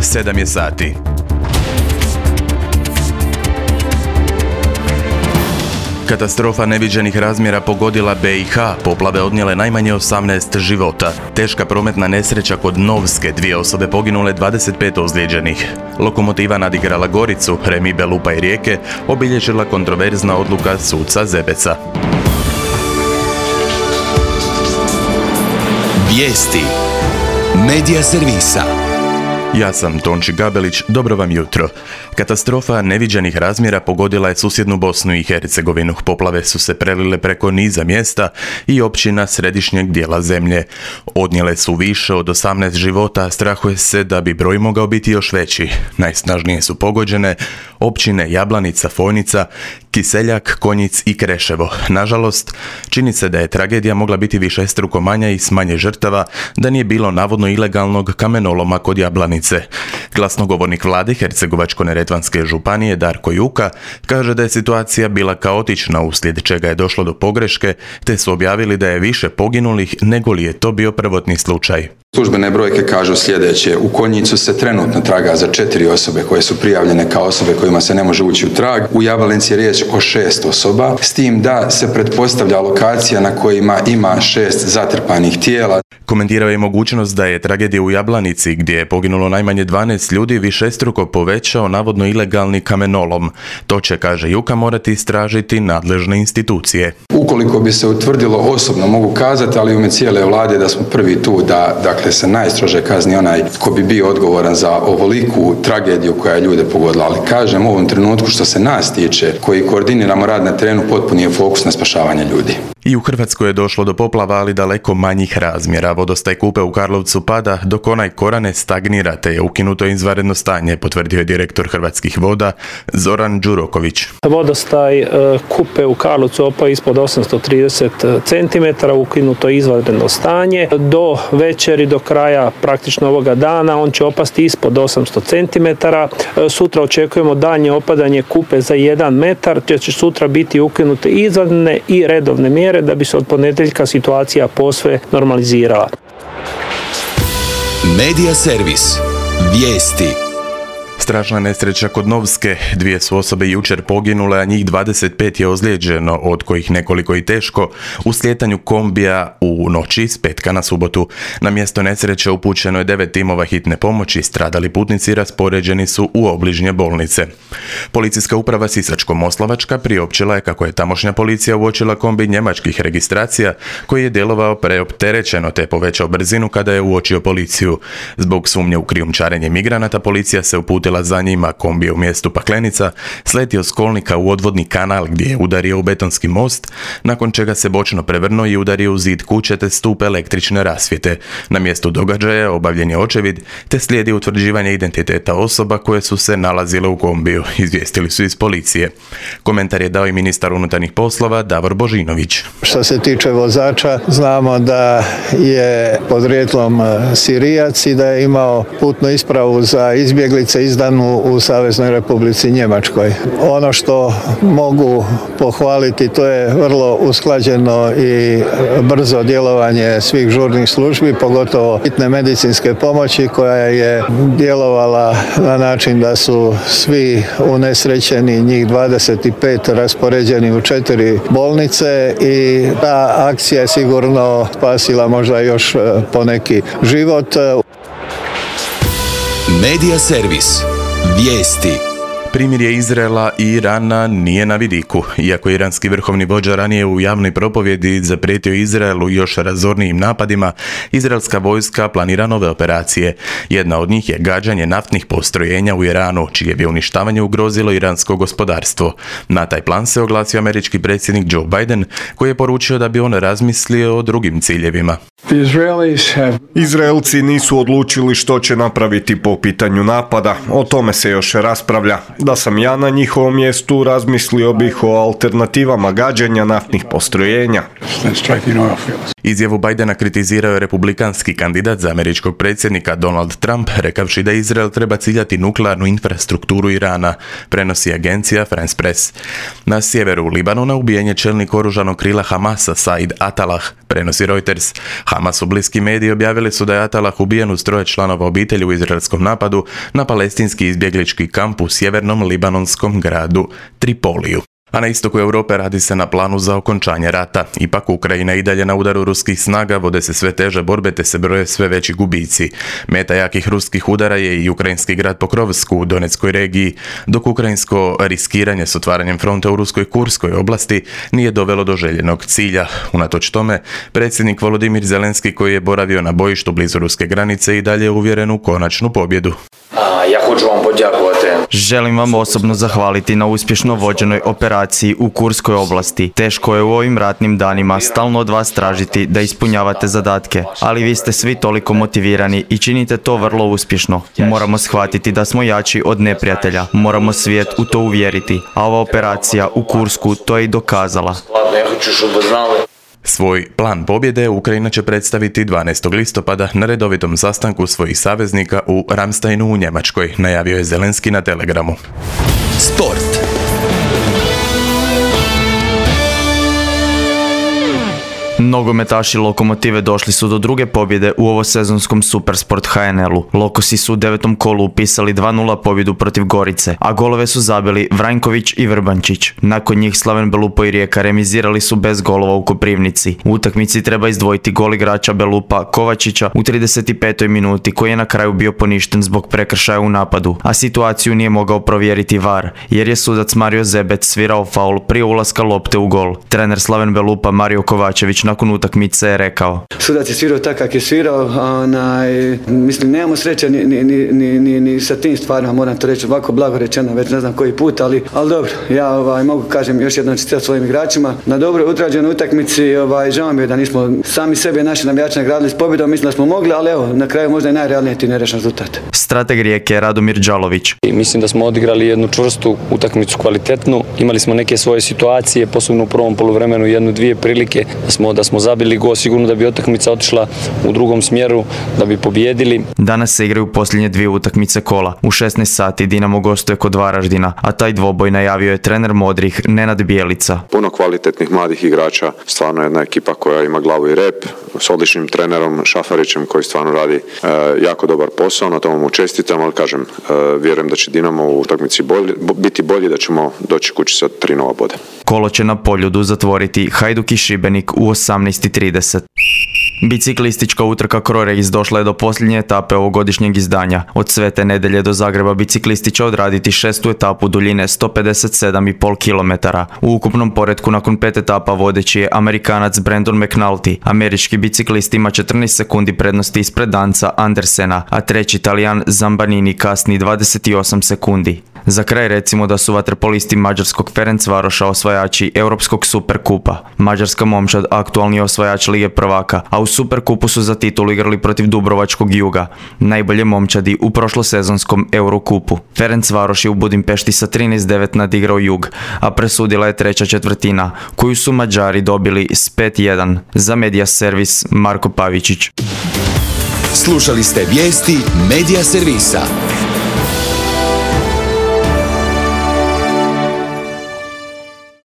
7 je sati. Katastrofa neviđenih razmjera pogodila BiH, poplave odnijele najmanje 18 života. Teška prometna nesreća kod Novske, 2 osobe poginule, 25 ozlijeđenih. Lokomotiva nadigrala Goricu, Remi, Belupa i Rijeke, obilježila kontroverzna odluka suca Zebeca. Vijesti Medija servisa. Ja sam Tonči Gabelić, dobro vam jutro. Katastrofa neviđenih razmjera pogodila je susjednu Bosnu i Hercegovinu. Poplave su se prelile preko niza mjesta i općina središnjeg dijela zemlje. Odnijele su više od 18 života, a strahuje se da bi broj mogao biti još veći. Najsnažnije su pogođene općine Jablanica, Fojnica, Kiseljak, Konjic i Kreševo. Nažalost, čini se da je tragedija mogla biti višestruko manja i s manje žrtava da nije bilo navodno ilegalnog kamenoloma kod Jablanice. Glasnogovornik vlade Hercegovačko-neretvanske županije Darko Juka kaže da je situacija bila kaotična, uslijed čega je došlo do pogreške, te su objavili da je više poginulih nego li je to bio prvotni slučaj. Službene brojke kažu sljedeće: u Konjicu se trenutno traga za 4 osobe koje su prijavljene kao osobe kojima se ne može ući u trag. U Jablanci je riječ o 6 osoba, s tim da se pretpostavlja lokacija na kojima ima 6 zatrpanih tijela. Komentirao je mogućnost da je tragedija u Jablanici, gdje je poginulo najmanje 12 ljudi, višestruko povećao navodno ilegalni kamenolom. To će, kaže Juka, morati istražiti nadležne institucije. Ukoliko bi se utvrdilo, osobno mogu kazati, ali u ime cijele vlade, da smo prvi tu da se najstrože kazni onaj ko bi bio odgovoran za ovoliku tragediju koja je ljude pogodila. Ali kažem, u ovom trenutku što se nas tiče, koji koordiniramo rad na terenu, potpuni je fokus na spašavanje ljudi. I u Hrvatskoj je došlo do poplava, ali daleko manjih razmjera. Vodostaj Kupe u Karlovcu pada, dok onaj Korane stagnira, te je ukinuto izvanredno stanje, potvrdio je direktor Hrvatskih voda Zoran Đuroković. Vodostaj Kupe u Karlovcu opao ispod 830 cm, ukinuto je izvanredno stanje. Do večeri, do kraja praktično ovoga dana, on će opasti ispod 800 cm. Sutra očekujemo daljnje opadanje Kupe za 1 metar, te će sutra biti ukinute izvanredne i redovne mjere da bi se od ponedjeljka situacija posve normalizirala. Medija servis. Vijesti. Strašna nesreća kod Novske, 2 su osobe jučer poginule, a njih 25 je ozlijeđeno, od kojih nekoliko i teško, u slijetanju kombija u noći s petka na subotu. Na mjesto nesreće upućeno je 9 timova hitne pomoći, stradali putnici raspoređeni su u obližnje bolnice. Policijska uprava Sisačko-moslavačka priopćila je kako je tamošnja policija uočila kombi njemačkih registracija koji je djelovao preopterećeno te povećao brzinu kada je uočio policiju. Zbog sumnje u krijumčarenje migranata, policija se uputila za njima. Kombi je u mjestu Paklenica sletio s kolnika u odvodni kanal gdje je udario u betonski most, nakon čega se bočno prevrnuo i udario u zid kuće te stup električne rasvjete. Na mjestu događaja obavljen je očevid te slijedi utvrđivanje identiteta osoba koje su se nalazile u kombiju, izvijestili su iz policije. Komentar je dao i ministar unutarnjih poslova Davor Božinović. Što se tiče vozača, znamo da je podrijetlom Sirijac i da je imao putnu ispravu za izbjeglice izdanu u Saveznoj Republici Njemačkoj. Ono što mogu pohvaliti, to je vrlo usklađeno i brzo djelovanje svih žurnih službi, pogotovo hitne medicinske pomoći, koja je djelovala na način da su svi unesrećeni, njih 25, raspoređeni u 4 bolnice i ta akcija je sigurno spasila možda još poneki život. Medija servis. Vijesti. Primirje Izraela i Irana nije na vidiku. Iako iranski vrhovni vođa ranije u javnoj propovjedi zaprijetio Izraelu još razornijim napadima, izraelska vojska planira nove operacije. Jedna od njih je gađanje naftnih postrojenja u Iranu, čije bi uništavanje ugrozilo iransko gospodarstvo. Na taj plan se oglasio američki predsjednik Joe Biden, koji je poručio da bi on razmislio o drugim ciljevima. Izraelci nisu odlučili što će napraviti po pitanju napada. O tome se još raspravlja. Da sam ja na njihovom mjestu, razmislio bih o alternativama gađanja naftnih postrojenja. Izjavu Bidena kritizirao je republikanski kandidat za američkog predsjednika Donald Trump, rekavši da Izrael treba ciljati nuklearnu infrastrukturu Irana, prenosi agencija France Press. Na sjeveru Libanona ubijen je čelnik oružanog krila Hamasa Said Atalah, prenosi Reuters. Hamasu bliski mediji objavili su da je Atalah ubijen uz 3 članova obitelji u izraelskom napadu na palestinski izbjeglički kamp u sjevernom libanonskom gradu Tripoliju. A na istoku Europe radi se na planu za okončanje rata. Ipak Ukrajina i dalje na udaru ruskih snaga, vode se sve teže borbe te se broje sve veći gubici. Meta jakih ruskih udara je i ukrajinski grad Pokrovsk u Donetskoj regiji, dok ukrajinsko riskiranje s otvaranjem fronta u ruskoj Kurskoj oblasti nije dovelo do željenog cilja. Unatoč tome, predsjednik Volodimir Zelenski, koji je boravio na bojištu blizu ruske granice, i dalje je uvjeren u konačnu pobjedu. Ja hoću vam podjakovati. Želim vam osobno zahvaliti na uspješno vođenoj operaciji u Kurskoj oblasti. Teško je u ovim ratnim danima stalno od vas tražiti da ispunjavate zadatke, ali vi ste svi toliko motivirani i činite to vrlo uspješno. Moramo shvatiti da smo jači od neprijatelja, moramo svijet u to uvjeriti, a ova operacija u Kursku to je i dokazala. Svoj plan pobjede Ukrajina će predstaviti 12. listopada na redovitom sastanku svojih saveznika u Ramsteinu u Njemačkoj, najavio je Zelenski na Telegramu. Sport. Nogometaši Lokomotive došli su do druge pobjede u ovosezonskom Supersport HNL-u. Lokosi su u 9. kolu upisali 2-0 pobjedu protiv Gorice, a golove su zabili Vranjković i Vrbančić. Nakon njih Slaven Belupo i Rijeka remizirali su bez golova u Koprivnici. U utakmici treba izdvojiti gol igrača Belupa Kovačića u 35. minuti, koji je na kraju bio poništen zbog prekršaja u napadu, a situaciju nije mogao provjeriti VAR, jer je sudac Mario Zebec svirao faul prije ulaska lopte u gol. Trener Slaven Belupa Mario Kovačević nakon utakmice je rekao: Sudac je svirao tako kako je svirao, mislim nemamo sreće ni sa tim stvarima, moram to reći ovako blago rečeno, već ne znam koji put, ali dobro, ja mogu kažem još jednom čestitati svojim igračima na dobro odrađenoj utakmici. Žao mi je da nismo sami sebe, naši navijači nagradili s pobjedom, mislim da smo mogli, ali evo, na kraju možda i najrealniji ti nerešen rezultat. Strateg Rijeke Radomir Đalović: Mislim da smo odigrali jednu čvrstu utakmicu, kvalitetnu, imali smo neke svoje situacije, posebno u prvom poluvremenu 1-2 prilike da smo zabili gol, sigurno da bi utakmica otišla u drugom smjeru, da bi pobijedili. Danas se igraju posljednje 2 utakmice kola. U 16 sati Dinamo gostuje kod Varaždina, a taj dvoboj najavio je trener modrih Nenad Bijelica. Puno kvalitetnih mladih igrača, stvarno jedna ekipa koja ima glavu i rep, s odličnim trenerom Šafarićem koji stvarno radi jako dobar posao, na tomu mu čestitam, ali kažem, vjerujem da će Dinamo u utakmici biti bolji, da ćemo doći kući sa 3 nova boda. Kolo će na Poljudu zatvoriti Hajduk i Šibenik u 18:30. Biciklistička utrka Crorace došla je do posljednje etape ovogodišnjeg izdanja. Od Svete Nedelje do Zagreba biciklisti će odraditi 6. etapu duljine 157,5 km. U ukupnom poretku nakon 5 etapa vodeći je Amerikanac Brandon McNulty. Američki biciklist ima 14 sekundi prednosti ispred Danca Andersena, a treći Talijan Zambanini kasni 28 sekundi. Za kraj recimo da su vaterpolisti mađarskog Ferencvaroša osvajači Europskog superkupa. Mađarska momčad aktualni osvajač Lige prvaka, a u superkupu su za titulu igrali protiv Dubrovačkog Juga, najbolje momčadi u prošlosezonskom Eurokupu. Ferencvaroš je u Budimpešti sa 13:9 nadigrao Jug, a presudila je treća četvrtina, koju su Mađari dobili s 5:1. Za Media Servis Marko Pavičić. Slušali ste vijesti Media Servisa.